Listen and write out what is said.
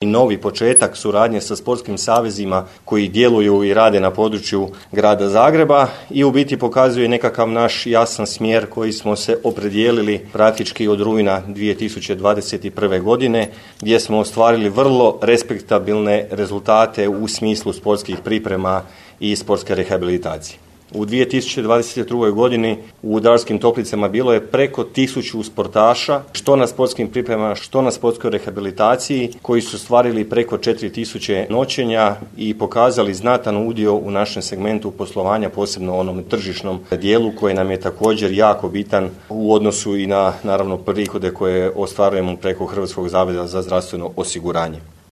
i novi početak suradnje sa sportskim savezima koji djeluju i rade na području grada Zagreba i u biti pokazuje nekakav naš jasan smjer koji smo se opredijelili praktički od rujna 2021. godine gdje smo ostvarili vrlo respektabilne rezultate u smislu sportskih priprema i sportske rehabilitacije. U 2022. godini u Darskim Toplicama bilo je preko 1000 sportaša, što na sportskim pripremama, što na sportskoj rehabilitaciji, koji su ostvarili preko 4000 noćenja i pokazali znatan udio u našem segmentu poslovanja, posebno onom tržišnom dijelu koji nam je također jako bitan u odnosu i na naravno prihode koje ostvarujemo preko Hrvatskog zavoda za zdravstveno osiguranje.